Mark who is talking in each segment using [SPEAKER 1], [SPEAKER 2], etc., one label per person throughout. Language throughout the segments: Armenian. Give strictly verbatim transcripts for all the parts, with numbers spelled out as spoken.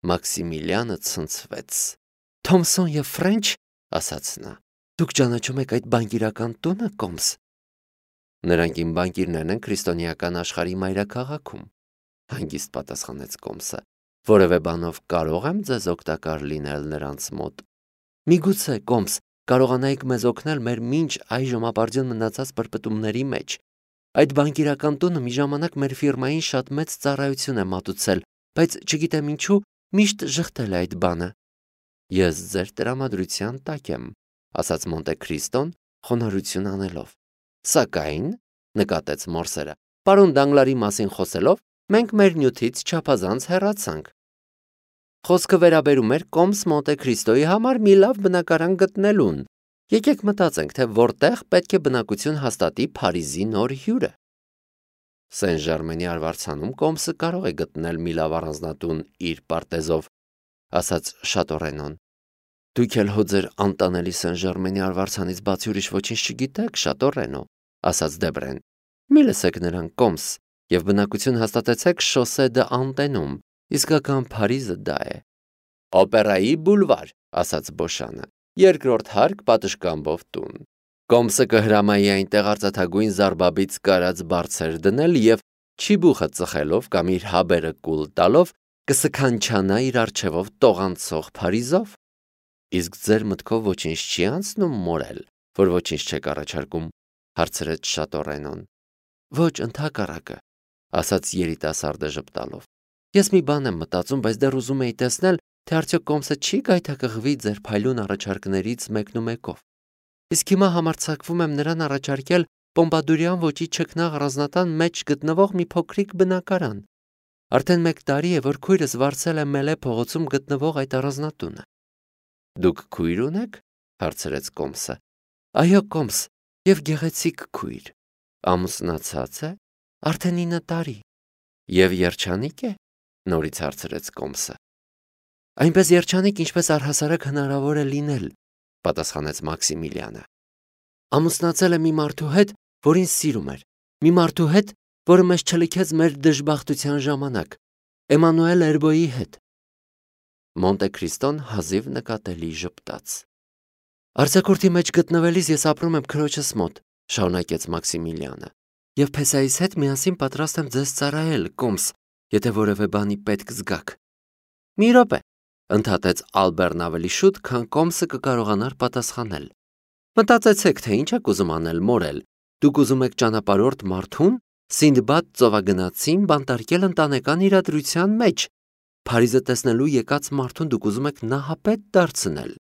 [SPEAKER 1] Մաքսիմիլիանը ցնցվեց։ Թոմսոն եւ Ֆրենչ, ասաց նա, դուք ճանաչում եք այդ բանկիրական տունը, Կոմս։ Նրանք իմ բանկիրներն են քրիստոնեական աշխարհի մայրաքաղաքում, հանգիստ պատասխանեց Կոմսը։ Որևէ բանով կարող եմ ձեզ օգտակար լինել նրանց մոտ։ Միգուցե, Կոմս, կարողանայիք մեզ օգնել մեր մինչ այժմ ապարդյուն մնացած պրպտումների մեջ։ Այդ բանկիրական տունը մի ժամանակ մեր ֆիրմային շատ մեծ ծառայություն է մատուցել, բայց չգիտեմ ինչու միշտ ժխտել է այդ բանը։ Ես ձեր տրամադրության տակ եմ, ասաց Մոնտե Քրիստոն խոնարհություն անելով։ Սակայն, նկատեց Մորսերը, պարոն Դանգլարի մասին խոսելով, մենք մեր նյութից չափազանց հեռացանք։ Խոսքը վերաբերում էր Կոմս Մոնտե Քրիստոյի համար մի լավ բնակարան գտնելուն։ Եկեք մտածենք, թե որտեղ պետք է բնակություն հաստատի Փարիզի նոր հյուրը։ Սեն Ժարմենի արվարձանում Կոմսը կարող է գտնել մի լավ առանձնատուն իր պարտեզով, ասաց Շատորենոն։ Դուք էլ հո ձեր անտանելի Սեն Ժարմենի արվարձանից բացի ուրիշ ոչինչ չգիտեք, Շատորենո, ասաց Դեբրեն։ Մի լսեք նրան, Կոմս, եւ բնակություն հաստատեցեք Շոսե դը Անտենում, իսկական Փարիզը դա է։ Օպերայի բուլվար, ասաց Բոշանը, երկրորդ հարկ պատշգամբով տուն։ Կոմսը կհրամայի այնտեղ արծաթագույն զարբաբից կարած բարձեր դնել եւ չիբուխը ծխելով կամ իր հաբերը կուլ տալով կսքանչանա իր արջևով տողանցող Փարիզով։ Իսկ ձեր մտքով ոչինչ չի անցնում, մորել, որ ոչինչ չեք առաջարկում, հարցրեց Շատորենոն։ Ոչ, ընդհակառակը, ասաց երիտասարդը ժպտալով։ Ես մի բան եմ մտածում, բայց դեռ ուզում էի տեսնել, թե արդյոք Կոմսը չի գայթակղվի ձեր փայլուն առաջարկներից մեկնումեկով։ Իսկ հիմա համարձակվում եմ նրան առաջարկել Պոմպադուրյան ոճի չքնաղ առանձնատան մեջ գտնվող մի փոքրիկ բնակարան։ Արդեն մեկ տարի է, որ քույրս վարձել է Մելե փողոցում գտնվող այդ առանձնատունը։ Դուք քույր ունեք, հարցրեց Կոմսը։ Այո, Կոմս, եւ գեղեցիկ քույր։ Ամուսնացած է, արդեն ինը տարի։ Եվ երջանիկ է, նորից հարցրեց Կոմսը։ Այնպես երջանիկ, ինչպես առհասարակ հնարավոր է լինել, պատասխանեց Մաքսիմիլիանը։ Ամուսնացել է մի մարդու հետ, որին սիրում էր, մի մարդու հետ, որը մեզ չլքեց մեր դժբախտության ժամանակ, Էմանուել Էրբոյի հետ։ Մոնտե Քրիստոն հազիվ նկատելի ժպտաց։ Արձակուրդի մեջ գտնվելիս ես ապրում եմ քրոջս մոտ, շարունակեց Մաքսիմիլիանը, եւ Փեսայիս հետ միասին պատրաստ եմ ձեզ ծառայել, Կոմս, եթե որևէ բանի պետք զգաք։ Մի րոպե, ընդհատեց Ալբերն ավելի շուտ, քան Կոմսը կկարողանար պատասխանել։ Մտածեցեք, թե ինչ եք ուզում անել, մորել։ Դուք ուզում եք ճանապարհորդ մարդուն, Սինդբադ ծովագնացին բանտարկել ընտանեկան իրադրության մեջ։ Փարիզը տեսնելու եկած մարդուն դուք ուզում եք նահապետ դարձնել։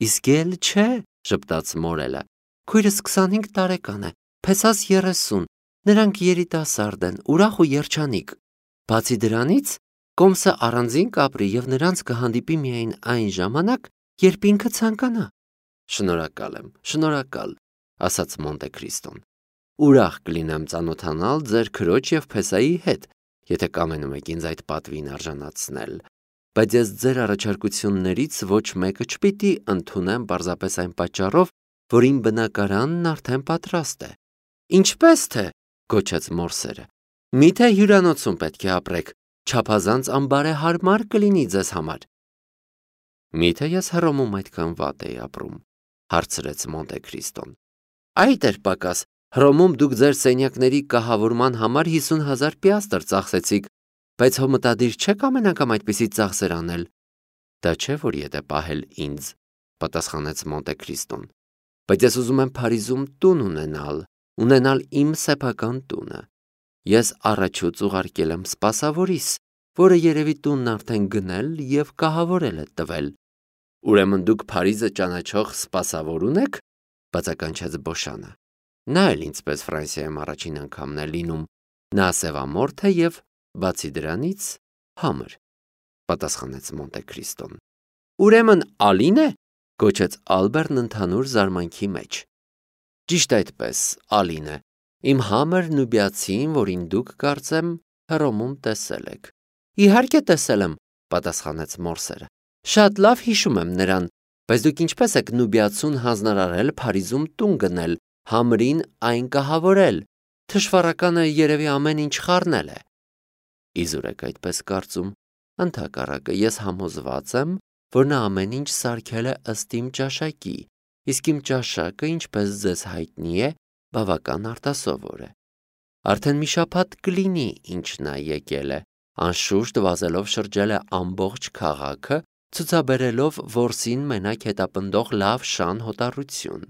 [SPEAKER 1] Իսկ էլ չէ, ժպտաց մորելը։ Քույրս քսանհինգ տարեկան է, Փեսաս երեսուն, նրանք երիտասարդ են, ուրախ ու երջանիկ։ Բացի դրանից, Կոմսը առանձին կապրի եւ նրանց կհանդիպի միայն այն ժամանակ, երբ ինքը ցանկանա։ Շնորհակալ եմ, շնորհակալ, ասաց Մոնտե Քրիստոն։ Ուրախ կլինեմ ծանոթանալ ձեր քրոջ եւ Փեսայի հետ, եթե կամենում եք ինձ այդ պատվին արժանացնել, բայց ես ձեր առաջարկություններից ոչ մեկը չպիտի ընդունեմ պարզապես այն պատճառով, որ իմ բնակարանն արդեն պատրաստ է։ Ինչպես թե, գոչեց Մորսերը, միթե հյուրանոցում պետք է ապրեք, չափազանց անբարեհարմար կլինի ձեզ համար։ Միթե ես Հռոմում այդքան վատ էի ապրում, հարցրեց Մոնտե Քրիստոն։ Այդ էր պակաս, Հռոմում դուք ձեր սենյակների կահավորման համար հիսուն հազար պիաստր ծախսեցիք, բայց հո մտադիր չեք ամեն անգամ այդպիսի ծախսեր անել։ Դա չէ, որ եթե պահել ինձ, պատասխանեց Մոնտե Քրիստոն, բայց ես ուզում եմ Փարիզում տուն ունենալ, ունենալ իմ սեփական տունը։ Ես առաջուց ուղարկել եմ սպասավորիս, որը երևի տունն արդեն գնել եւ կահավորել է տվել։ Ուրեմն դուք Փարիզը ճանաչող սպասավոր ունեք, բացականչեց Բոշանը։ Նա էլ ինձպես Ֆրանսիայում առաջին անգամն է լինում, նա սևամորթ է եւ բացի դրանից համր, պատասխանեց Մոնտե Քրիստոն։ Ուրեմն Ալին է, գոչեց Ալբերտն ընդհանուր զարմանքի մեջ։ Ճիշտ այդպես, Ալին է, իմ համր նուբիացին, որին դուք կարծեմ Հռոմում տեսել եք։ Իհարկե տեսել եմ, պատասխանեց Մորսերը։ Շատ լավ հիշում եմ նրան, բայց դուք ինչպես եք նուբիացուն հանձնարարել Փարիզում տուն գնել, համրին այն կահավորել։ Թշվառականը երևի ամեն ինչ խառնել է։ Իզուր եք այդպես կարծում, Ընդհակառակը ես համոզված եմ, որ նա ամեն ինչ սարքել է ըստ իմ ճաշակի, իսկ իմ ճաշակը, ինչպես ձեզ հայտնի է, բավական արտասովոր է։ Արդեն մի շաբաթ կլինի, ինչ նա եկել է, անշուշտ վազելով շրջել է ամբողջ քաղաքը, ցուցաբերելով որսին մենակ հետապնդող լավ շան հոտառություն։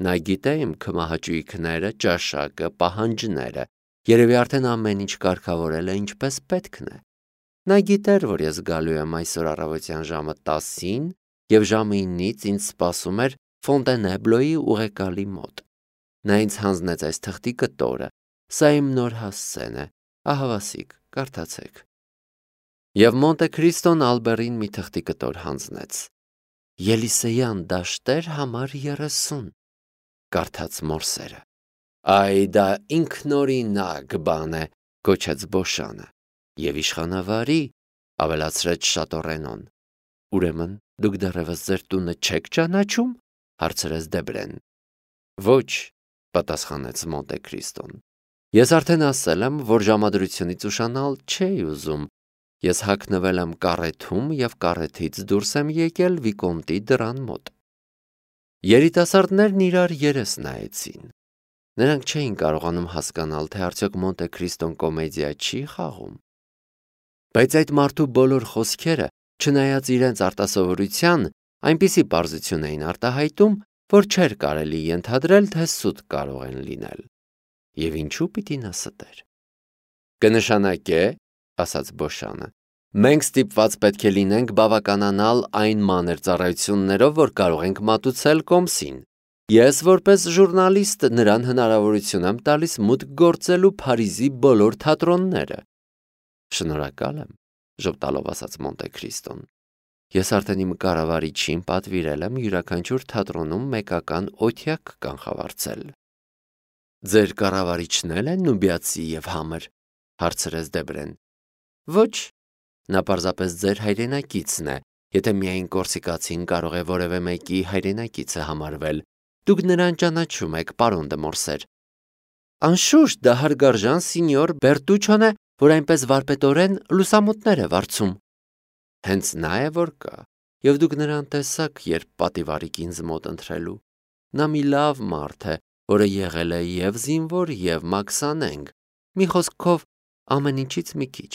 [SPEAKER 1] Նա գիտե իմ քմահաճույքները, ճաշակը, պահանջները, երևի արդեն ամեն ինչ կարգավորել է ինչպես պետքն է։ Նա գիտեր, որ ես գալու եմ այսօր առավոտյան ժամը տասին և ժամը ինից ինձ սպասում էր Ֆոնտենեբլոյի ուղեկալի մոտ։ Նա ինձ հանձնեց այս թղթի կտորը, սա իմ նոր հասցեն է, ահավասիկ, կարդացեք։ Եվ Մոնտե Քրիստոն Ալբերին մի թղթի կտոր հանձնեց։ Ելիսեյան դաշտեր համար երեսուն, կարդաց Մորսերը։ Այ դա ինքնօրինակ բան է, գոչեց Բոշանը։ Եվ իշխանավարի, ավելացրեց Շատորենոն։ Ուրեմն դուք դեռևս ձեր տունը չեք ճանաչում, հարցրեց Դեբրեն։ Ոչ, պատասխանեց Մոնտե Քրիստոն։ Ես արդեն ասել եմ, որ ժամադրությունից ուշանալ չէի ուզում։ Ես հագնվել եմ կարեթում և կարեթից դուրս եմ եկել Վիկոնտի դռան մոտ։ Երիտասարդներն իրար երես նայեցին։ Նրանք չէին կարողանում հասկանալ, թե արդյոք Մոնտե Քրիստոն կոմեդիա չի խաղում։ Բայց այդ մարդու բոլոր խոսքերը, չնայած իրենց արտասովորության, այնպիսի պարզություն էին արտահայտում, որ չէր կարելի ենթադրել, թե սուտ կարող են լինել։ Եվ ինչու պիտի նա ստեր։ Կնշանակե, ասաց Բոշանը, մենք ստիպված պետք է լինենք բավականանալ այն մանր ծառայություններով, որ կարող ենք մատուցել կոմսին։ Ես որպես ժուրնալիստ նրան հնարավորություն եմ տալիս մուտք գործելու Փարիզի բոլոր թատրոնները։ Շնորհակալ եմ, ժպտալով ասաց Մոնտե Քրիստոն։ Ես արդեն իմ կառավարիչին պատվիրել եմ յուրաքանչյուր թատրոնում մեկական օթյակ կանխավարձել։ Ձեր կառավարիչն էլ է նուբիացի և համր, հարցրեց Դեբրեն։ Ոչ, նա պարզապես ձեր հայրենակիցն է, եթե միայն կորսիկացին կարող է որևէ մեկի հայրենակիցը համարվել։ Դուք նրան ճանաչում եք, պարոն դե Մորսեր։ Անշուշտ դա հարգարժան սինյոր Բերտուչոն է, որ այնպես վարպետորեն լուսամուտներ է վարձում։ Հենց նա է, որ կա, և դուք նրան տեսաք, երբ պատիվարիք ինձ մոտ ընթրելու։ Նա մի լավ մարդ է, որը եղել է և զինվոր, և մաքսանենգ, մի խոսքով ամեն ինչից մի քիչ։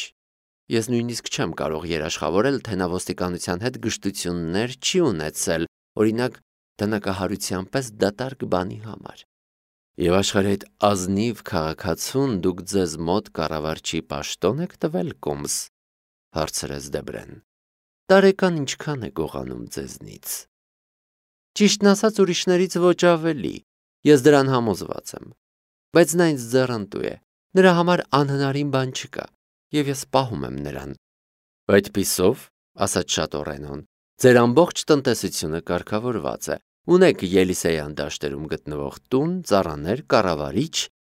[SPEAKER 1] Ես նույնիսկ չեմ կարող երաշխավորել, թե նա ոստիկանության հետ գժտություններ չի ունեցել, օրինակ դնակահարության պես դատարկ բանի համար։ Եվ աշխարհի այդ ազնիվ քաղաքացուն դուք ձեզ մոտ կառավարչի պաշտոն եք տվել, կոմս, հարցրեց Դեբրեն։ Տարեկան ինչքան է գողանում ձեզնից։ Ճիշտն ասած ուրիշներից ոչ ավելի, ես դրան համոզված եմ։ Բայց նա ինձ ձեռնտու է, նրա համար անհնարին բան չկա, և ես պահում եմ նրան։ Այդպիսով, ասաց Շատորենոն, ձեր ամբողջ տնտեսությունը կարգավորված է, ունեք Ելիսեյան դաշտերում գտնվող տուն, ծառաներ, կառավարիչ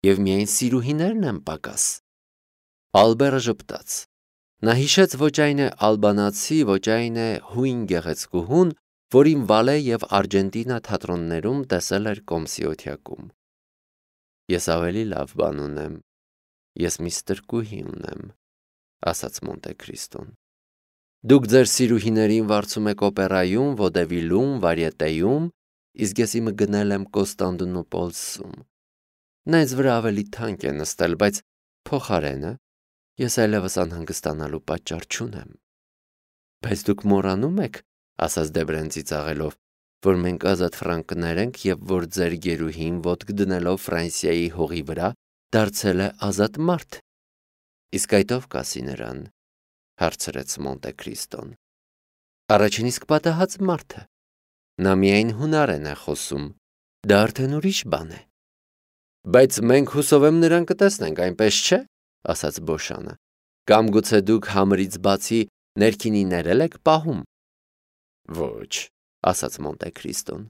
[SPEAKER 1] և միայն սիրուհիներն են պակաս։ Ալբերը ժպտաց։ Նա հիշեց ոչ այն է ալբանացի, ոչ այն է հույն գեղեցկուհուն, որին Վալե և Արգենտինա թատրոններում տեսել էր կոմսի օթյակում։ Ես ավելի լավ բան ունեմ, ես մի ստրկուհի ունեմ, ասաց Մոնտե Քրիստոն։ Դուք ձեր սիրուհիներին վարձում եք օպերայում, վոդևիլում, վարիետեում, իսկ ես իմը գնել եմ Կոստանդնուպոլսում։ Նա ինձ վրա ավելի թանկ է նստել, բայց փոխարենը ես այլևս անհանգստանալու պատճառ չունեմ։ Բայց դուք մոռանում եք, ասաց Դեբրեն ծիծաղելով, որ մենք ազատ ֆրանկներ ենք և որ ձեր գերուհին ոտք դնելով Ֆրանսիայի հողի վրա դարձել է ազատ մարդ։ Իսկ այդ ով կասի նրան, հարցրեց Մոնտե Քրիստոն։ Առաջին իսկ պատահած մարդը։ Նա միայն հունարեն է խոսում, դա արդեն ուրիշ բան է։ Բայց մենք հուսով եմ նրան կտեսնենք, այնպես չէ, ասաց Բոշանը։ Կամ գուցե դուք համրից բացի ներքինիներ էլ եք պահում։ Ոչ, ասաց Մոնտե Քրիստոն։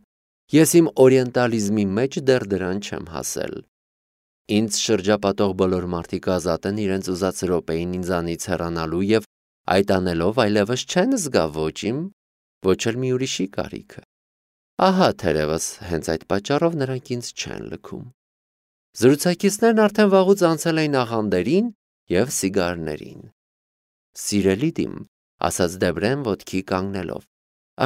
[SPEAKER 1] Ես իմ օրիենտալիզմի մեջ դեռ դրան չեմ հասել։ Ինձ շրջապատող բոլոր մարդիկ ազատ են իրենց ուզած րոպեին ինձանից հեռանալու և այդ անելով այլևս չեն զգա ոչ իմ, ոչ էլ մի ուրիշի կարիքը։ Ահա թերևս հենց այդ պատճառով նրանք ինձ չեն լքում։ Զրուցակիցներն արդեն վաղուց անցել էին աղանդերին և սիգարներին։ Սիրելի դիմ, ասաց Դեբրեն ոտքի կանգնելով,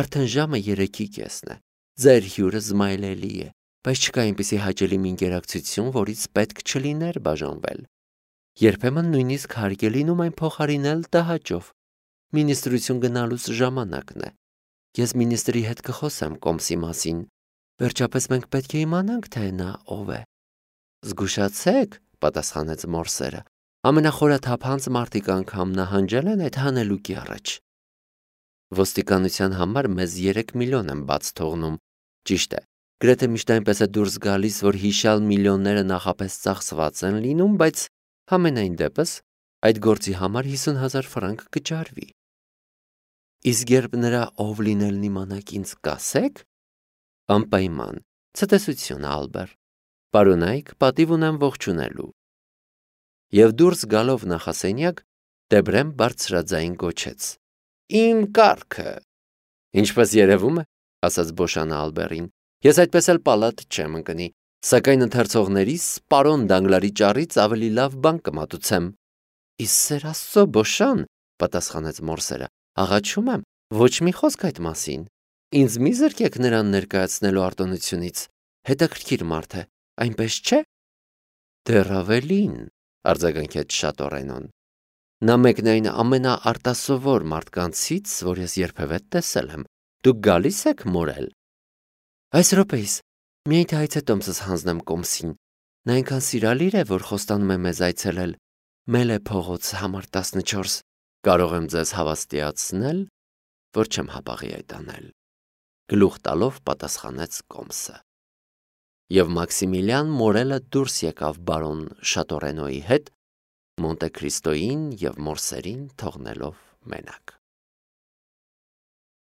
[SPEAKER 1] արդեն ժամը երեքի կեսն է, ձեր հյուրը զմայլելի է, բայց չկա այնպիսի հաճելի մի ինտերակցիություն, որից պետք չլիներ բաժանվել։ Երբեմն նույնիսկ հարկ է լինում այն փոխարինել տհաճով։ Մինիստրություն գնալուց ժամանակն է։ Ես մինիստրի հետ կխոսեմ Կոմսի մասին։ Վերջապես մենք պետք է իմանանք, թե նա ով է։ Զգուշացեք, պատասխանեց Մորսերը։ Ամենախորաթափանց մարդիկ անգամ նահանջել են այդ հանելուկի առաջ։ Ոստիկանության համար մեզ երեք միլիոն են բաց թողնում։ Ճիշտ է, գրեթե միշտ այնպես է դուրս գալիս, որ հիշյալ միլիոնները նախապես ծախսված են լինում, բայց համենայն դեպս այդ գործի համար հիսուն հազար ֆրանկ կճարվի։ Իսկ երբ նրա ով լինելն իմանաք ինձ կասեք, անպայման, ցտեսություն Ալբեր, պարոնայք պատիվ ունեմ ողջունելու։ Եվ դուրս գալով նախասենյակ, Դեբրեն բարձրաձայն գոչեց. Իմ կառքը։ Ինչպես երևում է, ասաց Բոշանը Ալբերին, ես այդպես էլ պալատ չեմ ընկնի, սակայն ընթերցողներիս պարոն Դանգլարի ճառից ավելի լավ բան կմատուցեմ։ Իսկ սեր Աստծո, Բոշան, պատասխանեց Մորսերը, աղաչում եմ, ոչ մի խոսք այդ մասին։ Ինձ մի զրկեք նրան ներկայացնելու արտոնությունից։ Հետաքրքիր մարդ է, այնպես չէ։ Դեռ ավելին, արձագանքեց Շատորենոն։ Նա մեկն այն ամենաարտասովոր մարդկանցից, որ ես երբևէ տեսել եմ։ Դուք գալիս եք մորել։ Այս րոպեիս, միայն թե այցե տոմսս հանձնեմ Կոմսին։ Նա այնքան սիրալիր է, որ խոստանում է մեզ այցելել։ Մելե փողոց համար տասնչորս։ Կարող եմ ձեզ հավաստիացնել, որ չեմ հապաղի այդ անել։ Գլուխ տալով պատասխանեց Կոմսը։ Եվ Մաքսիմիլիան Մորելը դուրս եկավ բարոն Շատորենոյի հետ, Մոնտե Քրիստոյին և Մորսերին թողնելով մենակ։